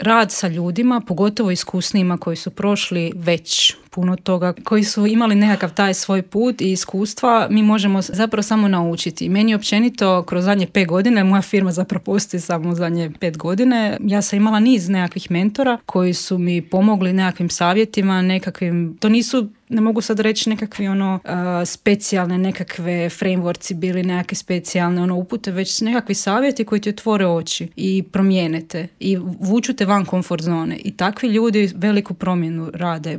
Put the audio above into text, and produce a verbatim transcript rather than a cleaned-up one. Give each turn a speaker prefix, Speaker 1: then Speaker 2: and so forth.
Speaker 1: rad sa ljudima, pogotovo iskusnijima koji su prošli već puno toga, koji su imali nekakav taj svoj put i iskustva, mi možemo zapravo samo naučiti. Meni općenito kroz zadnje pet godine, moja firma zapravo postoji samo zadnje pet godine, ja sam imala niz nekakvih mentora koji su mi pomogli nekakvim savjetima, nekakvim, to nisu, ne mogu sad reći nekakvi ono uh, specijalne nekakve frameworkci bili nekakve specijalne ono upute, već nekakvi savjeti koji ti otvore oči i promijene te i vuču te van komfort zone. I takvi ljudi veliku promjenu rade.